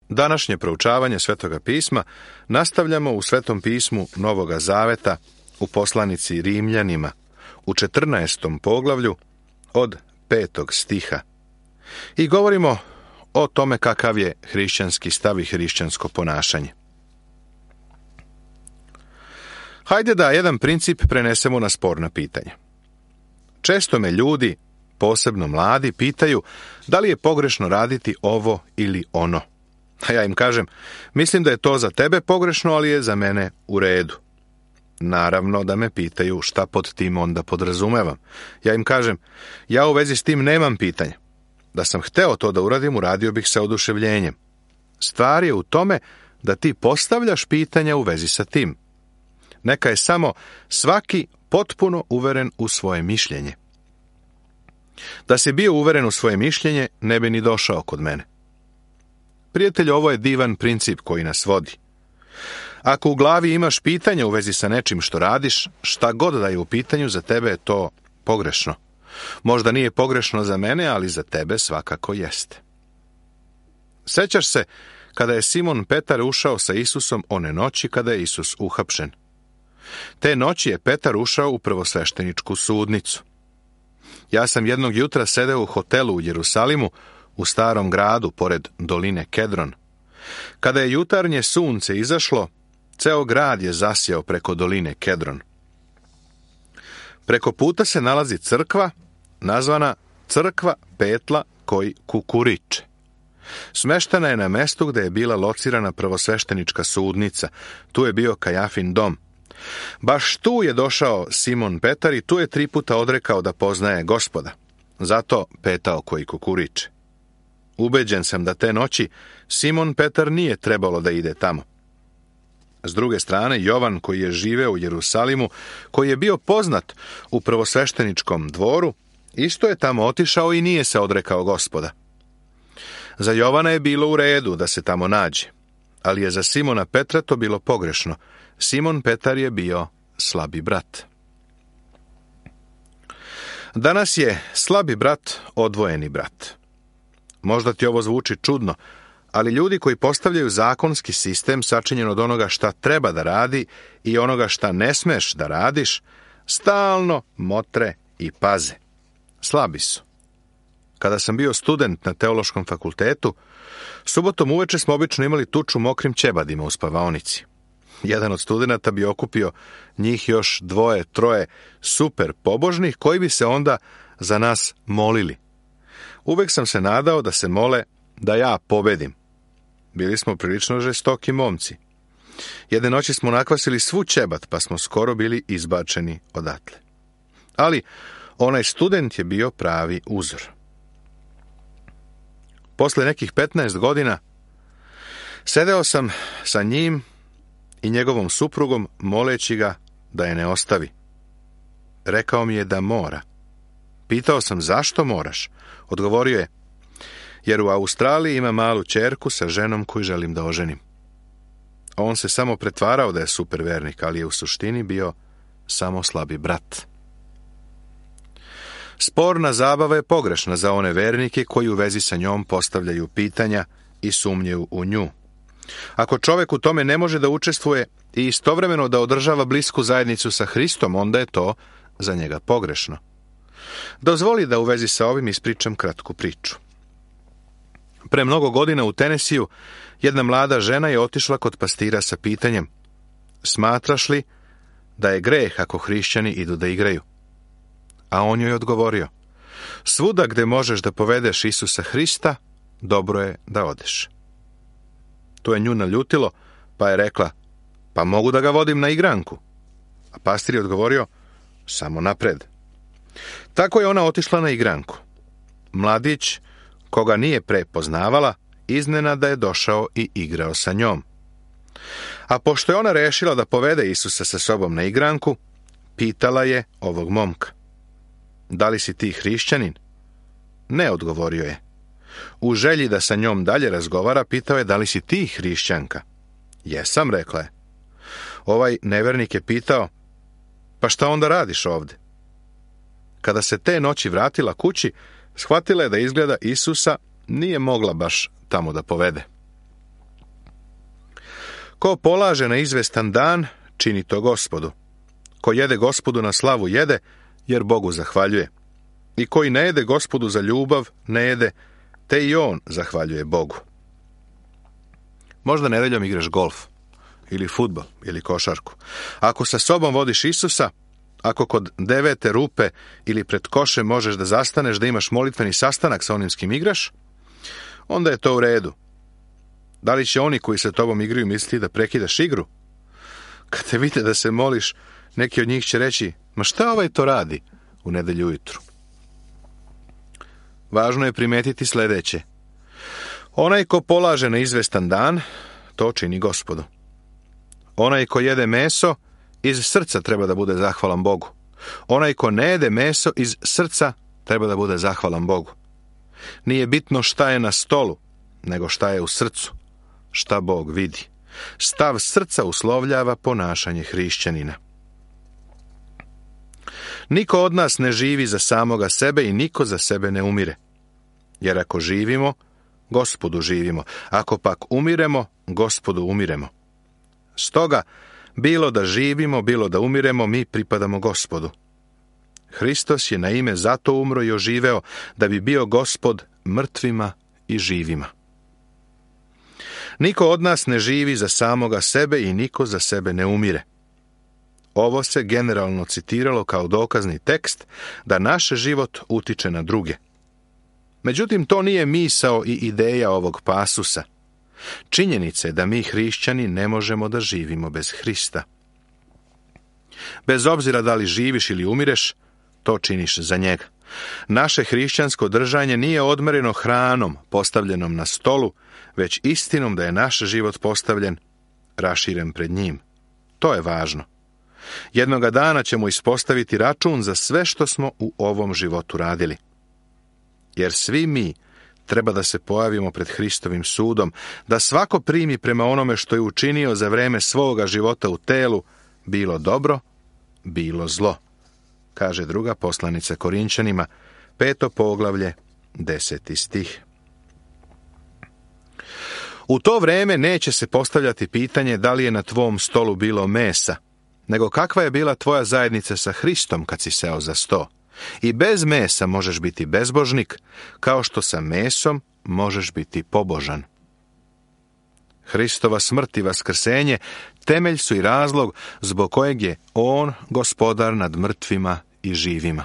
Današnje proučavanje Svetoga pisma nastavljamo u Svetom pismu Novoga Zaveta u poslanici Rimljanima u 14. poglavlju od 5. stiha i govorimo o tome kakav je hrišćanski stav i hrišćansko ponašanje. Hajde da jedan princip prenesemo na sporna pitanja. Često me ljudi, posebno mladi, pitaju da li je pogrešno raditi ovo ili ono. A ja im kažem, mislim da je to za tebe pogrešno, ali je za mene u redu. Naravno da me pitaju šta pod tim onda podrazumevam. Ja im kažem, ja u vezi s tim nemam pitanja. Da sam hteo to da uradim, uradio bih sa oduševljenjem. Stvar je u tome da ti postavljaš pitanja u vezi sa tim. Neka je samo svaki potpuno uveren u svoje mišljenje. Da si bio uveren u svoje mišljenje, ne bi ni došao kod mene. Prijatelj, ovo je divan princip koji nas vodi. Ako u glavi imaš pitanja u vezi sa nečim što radiš, šta god da je u pitanju, za tebe je to pogrešno. Možda nije pogrešno za mene, ali za tebe svakako jeste. Sećaš se kada je Simon Petar ušao sa Isusom one noći kada je Isus uhapšen. Te noći je Petar ušao u prvosvešteničku sudnicu. Ja sam jednog jutra sedeo u hotelu u Jerusalimu, u starom gradu, pored doline Kedron. Kada je jutarnje sunce izašlo, ceo grad je zasjao preko doline Kedron. Preko puta se nalazi crkva, nazvana Crkva Petla koji kukuriče. Smeštena je na mestu gde je bila locirana prvosveštenička sudnica. Tu je bio Kajafin dom. Baš tu je došao Simon Petar i tu je 3 puta odrekao da poznaje Gospoda. Zato petao koji kukuriče. Ubeđen sam da te noći Simon Petar nije trebalo da ide tamo. S druge strane, Jovan, koji je živeo u Jerusalimu, koji je bio poznat u prvosvešteničkom dvoru, isto je tamo otišao i nije se odrekao Gospoda. Za Jovana je bilo u redu da se tamo nađe, ali je za Simona Petra to bilo pogrešno. Simon Petar je bio slabi brat. Danas je slabi brat odvojeni brat. Možda ti ovo zvuči čudno, ali ljudi koji postavljaju zakonski sistem sačinjen od onoga šta treba da radi i onoga šta ne smeš da radiš, stalno motre i paze. Slabi su. Kada sam bio student na teološkom fakultetu, subotom uveče smo obično imali tuču mokrim ćebadima u spavaonici. Jedan od studenata bi okupio njih još 2, 3 super pobožnih koji bi se onda za nas molili. Uvek sam se nadao da se mole da ja pobedim. Bili smo prilično žestoki momci. Jedne noći smo nakvasili svu ćebad, pa smo skoro bili izbačeni odatle. Ali onaj student je bio pravi uzor. Posle nekih 15 godina sedeo sam sa njim i njegovom suprugom moleći ga da je ne ostavi. Rekao mi je da mora. Pitao sam zašto moraš. Odgovorio je, jer u Australiji ima malu ćerku sa ženom koju želim da oženim. On se samo pretvarao da je super vernik, ali je u suštini bio samo slabi brat. Sporna zabava je pogrešna za one vernike koji u vezi sa njom postavljaju pitanja i sumnjaju u nju. Ako čovjek u tome ne može da učestvuje i istovremeno da održava blisku zajednicu sa Hristom, onda je to za njega pogrešno. Dozvoli da u vezi sa ovim ispričam kratku priču. Pre mnogo godina u Tenesiju jedna mlada žena je otišla kod pastira sa pitanjem: smatraš li da je greh ako hrišćani idu da igraju? A on joj odgovorio: svuda gde možeš da povedeš Isusa Hrista, dobro je da odeš. To je nju naljutilo, pa je rekla: pa mogu da ga vodim na igranku. A pastir je odgovorio: samo napred. Tako je ona otišla na igranku. Mladić, koga nije pre poznavala, iznenada je došao i igrao sa njom. A pošto je ona rešila da povede Isusa sa sobom na igranku, pitala je ovog momka: da li si ti hrišćanin? Ne, odgovorio je. U želji da sa njom dalje razgovara, pitao je: da li si ti hrišćanka? Jesam, rekla je. Ovaj nevernik je pitao: pa šta onda radiš ovde? Kada se te noći vratila kući, shvatila je da izgleda Isusa nije mogla baš tamo da povede. Ko polaže na izvestan dan, čini to Gospodu. Ko jede Gospodu na slavu jede, jer Bogu zahvaljuje. I koji ne jede Gospodu za ljubav, ne jede, te i on zahvaljuje Bogu. Možda nedeljom igraš golf, ili fudbal, ili košarku. Ako sa sobom vodiš Isusa, ako kod 9. rupe ili pred košem možeš da zastaneš da imaš molitveni sastanak sa onim s kim igraš, onda je to u redu. Da li će oni koji sa tobom igraju misliti da prekidaš igru? Kad te vide da se moliš, neki od njih će reći, ma šta ovaj to radi u nedelju ujutru? Važno je primetiti sljedeće. Onaj ko polaže na izvestan dan, to čini Gospodu. Onaj ko jede meso, iz srca treba da bude zahvalan Bogu. Onaj ko ne jede meso, iz srca treba da bude zahvalan Bogu. Nije bitno šta je na stolu, nego šta je u srcu, šta Bog vidi. Stav srca uslovljava ponašanje hrišćanina. Niko od nas ne živi za samoga sebe i niko za sebe ne umire. Jer ako živimo, Gospodu živimo. Ako pak umiremo, Gospodu umiremo. Stoga, bilo da živimo, bilo da umiremo, mi pripadamo Gospodu. Hristos je na ime zato umro i oživeo, da bi bio Gospod mrtvima i živima. Niko od nas ne živi za samoga sebe i niko za sebe ne umire. Ovo se generalno citiralo kao dokazni tekst da naš život utiče na druge. Međutim, to nije misao i ideja ovog pasusa. Činjenica je da mi hrišćani ne možemo da živimo bez Hrista. Bez obzira da li živiš ili umireš, to činiš za njega. Naše hrišćansko držanje nije odmereno hranom postavljenom na stolu, već istinom da je naš život postavljen, raširen pred njim. To je važno. Jednoga dana ćemo ispostaviti račun za sve što smo u ovom životu radili. Jer svi mi treba da se pojavimo pred Hristovim sudom, da svako primi prema onome što je učinio za vreme svoga života u telu, bilo dobro, bilo zlo. Kaže druga poslanica Korinčanima, 5. poglavlje, 10. stih. U to vreme neće se postavljati pitanje da li je na tvom stolu bilo mesa, nego kakva je bila tvoja zajednica sa Hristom kad si seo za sto. I bez mesa možeš biti bezbožnik, kao što sa mesom možeš biti pobožan. Hristova smrt i vaskrsenje temelj su i razlog zbog kojeg je on gospodar nad mrtvima i živima.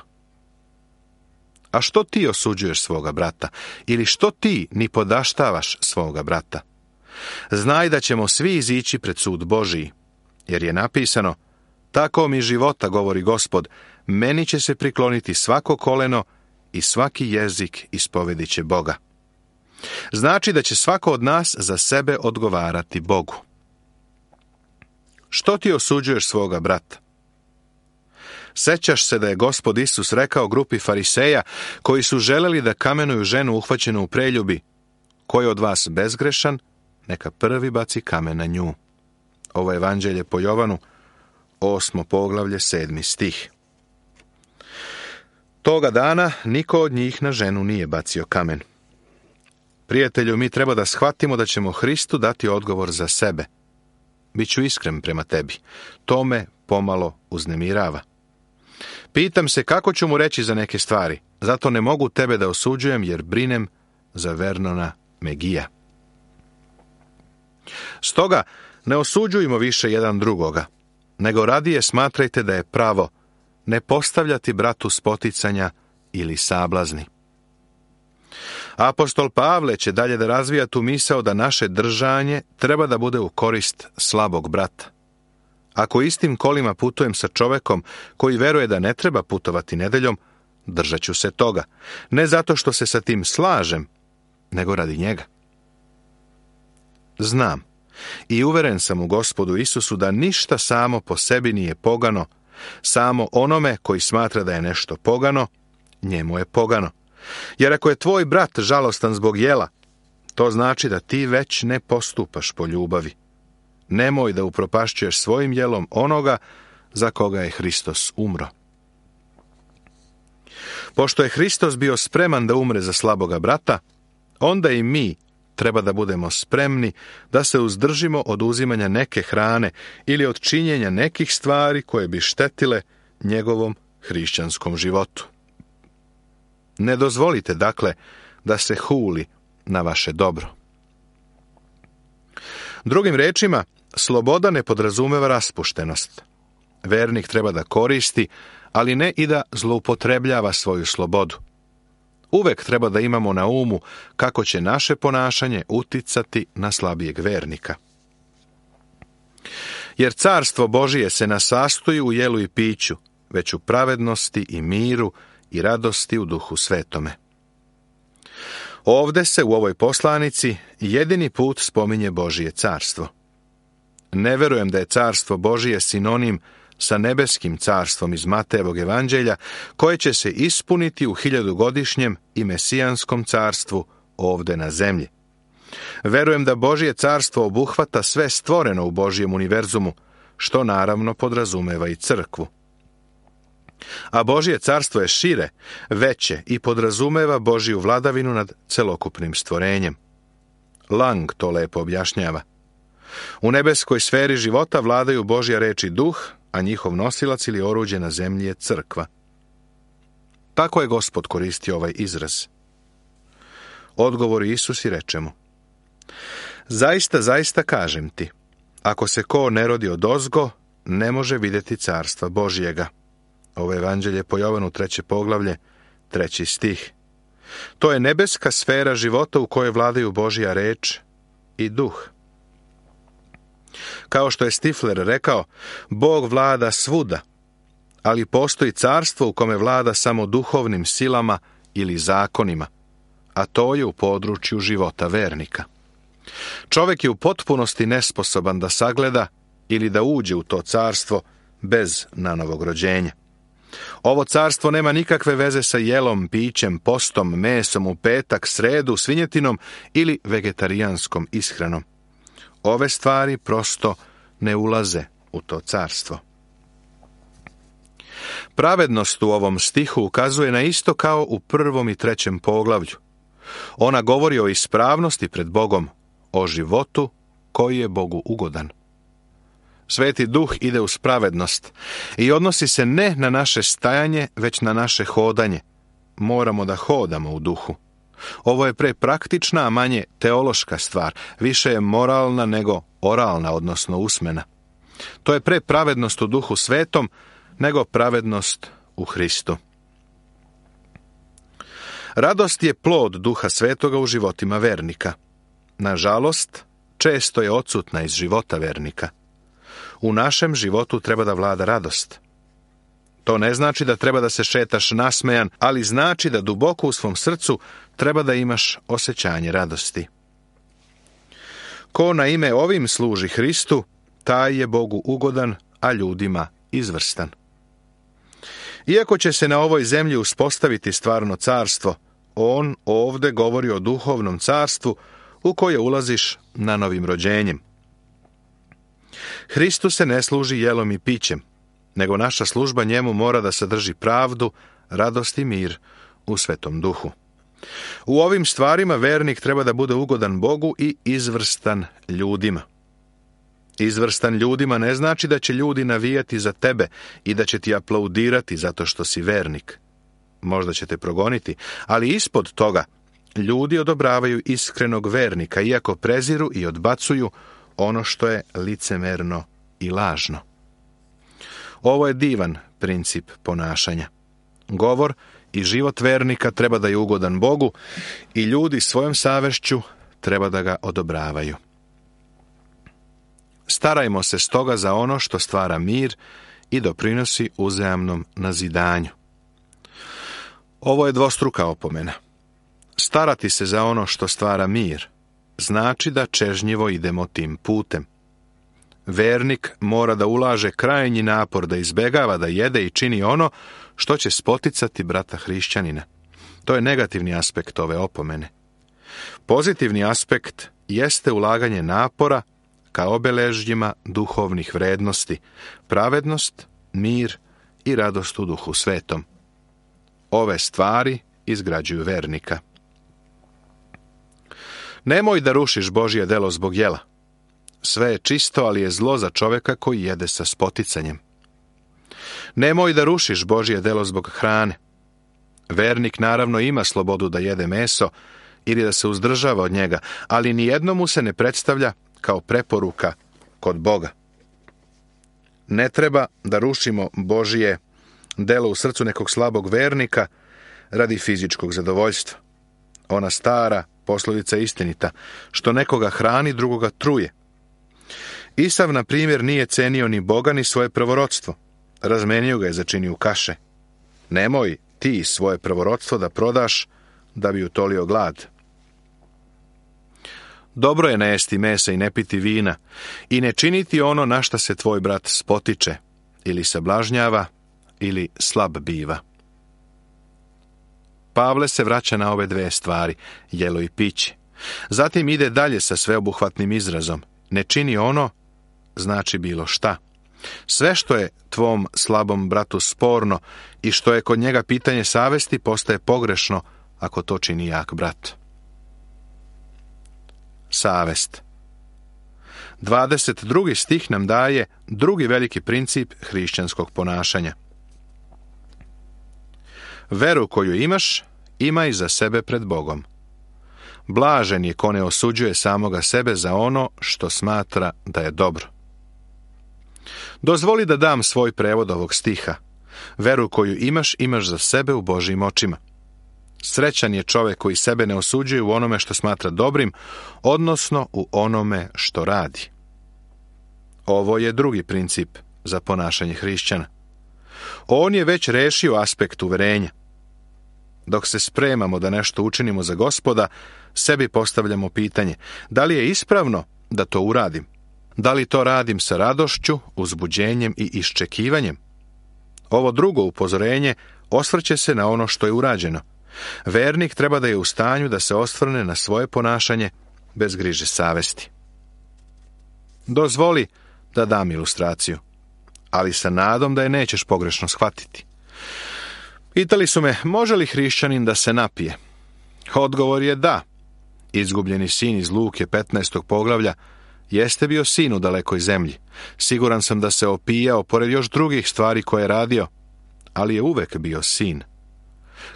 A što ti osuđuješ svoga brata? Ili što ti ni podaštavaš svoga brata? Znaj da ćemo svi izići pred sud Božiji, jer je napisano, tako mi života, govori Gospod, meni će se prikloniti svako koleno i svaki jezik ispovedit će Boga. Znači da će svako od nas za sebe odgovarati Bogu. Što ti osuđuješ svoga brata? Sećaš se da je Gospod Isus rekao grupi fariseja koji su želeli da kamenuju ženu uhvaćenu u preljubi, ko je od vas bezgrešan, neka prvi baci kamen na nju. Ovo je evanđelje po Jovanu, 8. poglavlje, 7. stih. Toga dana niko od njih na ženu nije bacio kamen. Prijatelju, mi treba da shvatimo da ćemo Hristu dati odgovor za sebe. Biću iskren prema tebi. To me pomalo uznemirava. Pitam se kako ću mu reći za neke stvari. Zato ne mogu tebe da osuđujem jer brinem za Vernona Megija. Stoga ne osuđujmo više jedan drugoga, nego radije smatrajte da je pravo ne postavljati bratu spoticanja ili sablazni. Apostol Pavle će dalje da razvija tu misao da naše držanje treba da bude u korist slabog brata. Ako istim kolima putujem sa čovekom koji veruje da ne treba putovati nedeljom, držat ću se toga. Ne zato što se sa tim slažem, nego radi njega. Znam i uveren sam u Gospodu Isusu da ništa samo po sebi nije pogano, samo onome koji smatra da je nešto pogano, njemu je pogano. Jer ako je tvoj brat žalostan zbog jela, to znači da ti već ne postupaš po ljubavi. Nemoj da upropašćuješ svojim jelom onoga za koga je Hristos umro. Pošto je Hristos bio spreman da umre za slaboga brata, onda i mi treba da budemo spremni da se uzdržimo od uzimanja neke hrane ili od činjenja nekih stvari koje bi štetile njegovom hrišćanskom životu. Ne dozvolite, dakle, da se huli na vaše dobro. Drugim rečima, sloboda ne podrazumeva raspuštenost. Vernik treba da koristi, ali ne i da zloupotrebljava svoju slobodu. Uvek treba da imamo na umu kako će naše ponašanje uticati na slabijeg vernika. Jer carstvo Božije se ne sastoji u jelu i piću, već u pravednosti i miru i radosti u Duhu Svetome. Ovde se u ovoj poslanici jedini put spominje Božije carstvo. Ne verujem da je carstvo Božije sinonim sa nebeskim carstvom iz Matejevog evanđelja, koje će se ispuniti u 1000-godišnjem i mesijanskom carstvu ovde na zemlji. Verujem da Božje carstvo obuhvata sve stvoreno u Božjem univerzumu, što naravno podrazumeva i crkvu. A Božje carstvo je šire, veće i podrazumeva Božju vladavinu nad celokupnim stvorenjem. Lang to lepo objašnjava. U nebeskoj sferi života vladaju Božja reč i duh, a njihov nosilac ili oruđe na zemlji je crkva. Tako je Gospod koristio ovaj izraz. Odgovori Isus i reče mu: Zaista, zaista kažem ti, ako se ko ne rodi odozgo, ne može vidjeti carstva Božjega. Ovo evanđelje po Jovanu 3. poglavlje, 3. stih. To je nebeska sfera života u kojoj vladaju Božja reč i duh. Kao što je Stifler rekao, Bog vlada svuda, ali postoji carstvo u kome vlada samo duhovnim silama ili zakonima, a to je u području života vernika. Čovjek je u potpunosti nesposoban da sagleda ili da uđe u to carstvo bez nanovog rođenja. Ovo carstvo nema nikakve veze sa jelom, pićem, postom, mesom u petak, sredu, svinjetinom ili vegetarijanskom ishranom. Ove stvari prosto ne ulaze u to carstvo. Pravednost u ovom stihu ukazuje na isto kao u 1. i 3. poglavlju. Ona govori o ispravnosti pred Bogom, o životu koji je Bogu ugodan. Sveti Duh ide uz pravednost i odnosi se ne na naše stajanje, već na naše hodanje. Moramo da hodamo u duhu. Ovo je prepraktična, a manje teološka stvar, više je moralna nego oralna, odnosno usmena. To je pravednost u Duhu Svetom nego pravednost u Hristu. Radost je plod Duha Svetoga u životima vernika. Nažalost, često je odsutna iz života vernika. U našem životu treba da vlada radost. To ne znači da treba da se šetaš nasmejan, ali znači da duboko u svom srcu treba da imaš osjećanje radosti. Ko na ime ovim služi Hristu, taj je Bogu ugodan, a ljudima izvrstan. Iako će se na ovoj zemlji uspostaviti stvarno carstvo, on ovde govori o duhovnom carstvu u koje ulaziš na novim rođenjem. Hristu se ne služi jelom i pićem, nego naša služba njemu mora da sadrži pravdu, radost i mir u Svetom Duhu. U ovim stvarima vernik treba da bude ugodan Bogu i izvrstan ljudima. Izvrstan ljudima ne znači da će ljudi navijati za tebe i da će ti aplaudirati zato što si vernik. Možda će te progoniti, ali ispod toga ljudi odobravaju iskrenog vernika, iako preziru i odbacuju ono što je licemerno i lažno. Ovo je divan princip ponašanja. Govor i život vernika treba da je ugodan Bogu i ljudi svojom savešću treba da ga odobravaju. Starajmo se stoga za ono što stvara mir i doprinosi uzajamnom nazidanju. Ovo je dvostruka opomena. Starati se za ono što stvara mir znači da čežnjivo idemo tim putem. Vernik mora da ulaže krajnji napor da izbegava da jede i čini ono što će spoticati brata hrišćanina. To je negativni aspekt ove opomene. Pozitivni aspekt jeste ulaganje napora ka obeležjima duhovnih vrednosti, pravednost, mir i radost u Duhu Svetom. Ove stvari izgrađuju vernika. Nemoj da rušiš Božje delo zbog jela. Sve je čisto, ali je zlo za čovjeka koji jede sa spoticanjem. Nemoj da rušiš Božje delo zbog hrane. Vernik naravno ima slobodu da jede meso ili da se uzdržava od njega, ali nijedno mu se ne predstavlja kao preporuka kod Boga. Ne treba da rušimo Božje delo u srcu nekog slabog vernika radi fizičkog zadovoljstva. Ona stara poslovica je istinita, što nekoga hrani, drugoga truje. Isav, na primjer, nije cenio ni Boga ni svoje prvorodstvo. Razmenio ga je za činiju kaše. Nemoj ti svoje prvorodstvo da prodaš da bi utolio glad. Dobro je ne jesti mesa i ne piti vina i ne činiti ono na šta se tvoj brat spotiče, ili sablažnjava, ili slab biva. Pavle se vraća na ove dve stvari, jelo i piće. Zatim ide dalje sa sveobuhvatnim izrazom. Ne čini ono, znači bilo šta. Sve što je tvom slabom bratu sporno i što je kod njega pitanje savesti postaje pogrešno ako to čini jak brat. Savest. 22. stih nam daje drugi veliki princip hrišćanskog ponašanja. Veru koju imaš, imaj za sebe pred Bogom. Blažen je ko ne osuđuje samoga sebe za ono što smatra da je dobro. Dozvoli da dam svoj prevod ovog stiha. Veru koju imaš, imaš za sebe u Božjim očima. Srećan je čovjek koji sebe ne osuđuje u onome što smatra dobrim, odnosno u onome što radi. Ovo je drugi princip za ponašanje hrišćana. On je već rešio aspekt uverenja. Dok se spremamo da nešto učinimo za Gospoda, sebi postavljamo pitanje, da li je ispravno da to uradim? Da li to radim sa radošću, uzbuđenjem i iščekivanjem? Ovo drugo upozorenje osvrće se na ono što je urađeno. Vernik treba da je u stanju da se osvrne na svoje ponašanje bez griže savesti. Dozvoli da dam ilustraciju, ali sa nadom da je nećeš pogrešno shvatiti. Pitali su me, može li hrišćanin da se napije? Odgovor je da. Izgubljeni sin iz Luke 15. poglavlja jeste bio sin u dalekoj zemlji. Siguran sam da se opijao pored još drugih stvari koje je radio, ali je uvek bio sin.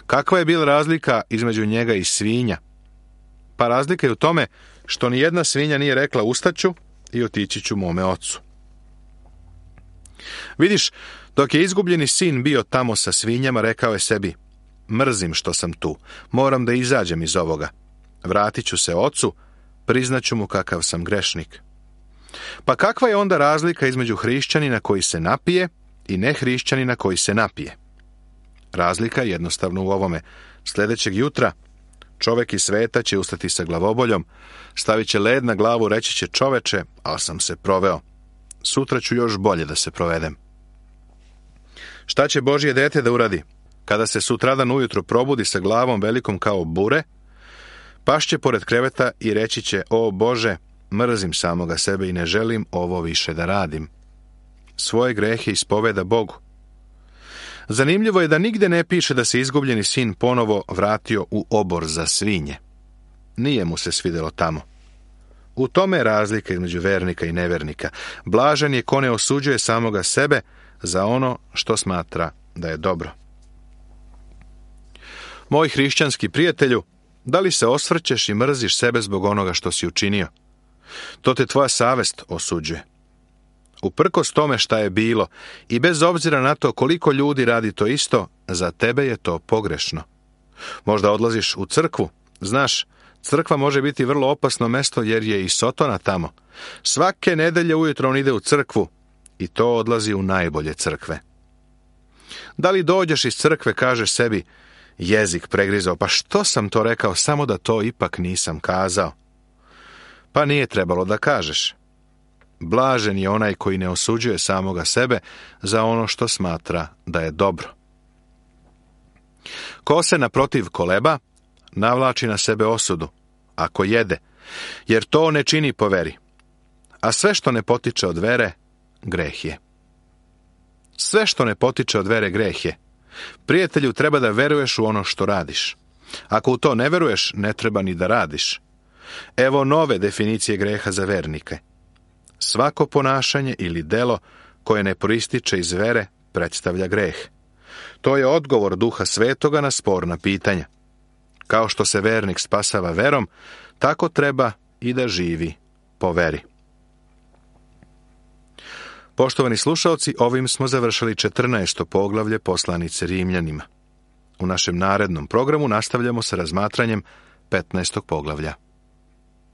Kakva je bila razlika između njega i svinja? Pa razlika je u tome što ni jedna svinja nije rekla ustaću i otići ću mome ocu. Vidiš, dok je izgubljeni sin bio tamo sa svinjama, rekao je sebi, mrzim što sam tu, moram da izađem iz ovoga. Vratit ću se ocu, priznaću mu kakav sam grešnik. Pa kakva je onda razlika između hrišćanina koji se napije i nehrišćanina koji se napije? Razlika je jednostavno u ovome. Sljedećeg jutra čovjek iz sveta će ustati sa glavoboljom, stavit će led na glavu, reći će čoveče, ali sam se proveo. Sutra ću još bolje da se provedem. Šta će Božje dete da uradi? Kada se sutradan ujutro probudi sa glavom velikom kao bure, pašće pored kreveta i reći će, o Bože, mrzim samoga sebe i ne želim ovo više da radim. Svoje grehe ispoveda Bogu. Zanimljivo je da nigde ne piše da se izgubljeni sin ponovo vratio u obor za svinje. Nije mu se svidjelo tamo. U tome je razlika između vernika i nevernika. Blažen je ko ne osuđuje samoga sebe za ono što smatra da je dobro. Moj hrišćanski prijatelju, da li se osvrćeš i mrziš sebe zbog onoga što si učinio? To te tvoja savest osuđuje. Uprkos tome šta je bilo i bez obzira na to koliko ljudi radi to isto, za tebe je to pogrešno. Možda odlaziš u crkvu. Znaš, crkva može biti vrlo opasno mesto jer je i Sotona tamo. Svake nedelje ujutro on ide u crkvu i to odlazi u najbolje crkve. Da li dođeš iz crkve, kažeš sebi, jezik pregrizao, pa što sam to rekao, samo da to ipak nisam kazao. Pa nije trebalo da kažeš. Blažen je onaj koji ne osuđuje samoga sebe za ono što smatra da je dobro. Ko se naprotiv koleba, navlači na sebe osudu, ako jede, jer to ne čini po veri. A sve što ne potiče od vere, greh je. Sve što ne potiče od vere, greh je. Prijatelju, treba da veruješ u ono što radiš. Ako u to ne veruješ, ne treba ni da radiš. Evo nove definicije greha za vernike. Svako ponašanje ili delo koje ne proističe iz vere predstavlja greh. To je odgovor Duha Svetoga na sporna pitanja. Kao što se vernik spasava verom, tako treba i da živi po veri. Poštovani slušaoci, ovim smo završili 14. poglavlje poslanice Rimljanima. U našem narednom programu nastavljamo sa razmatranjem 15. poglavlja.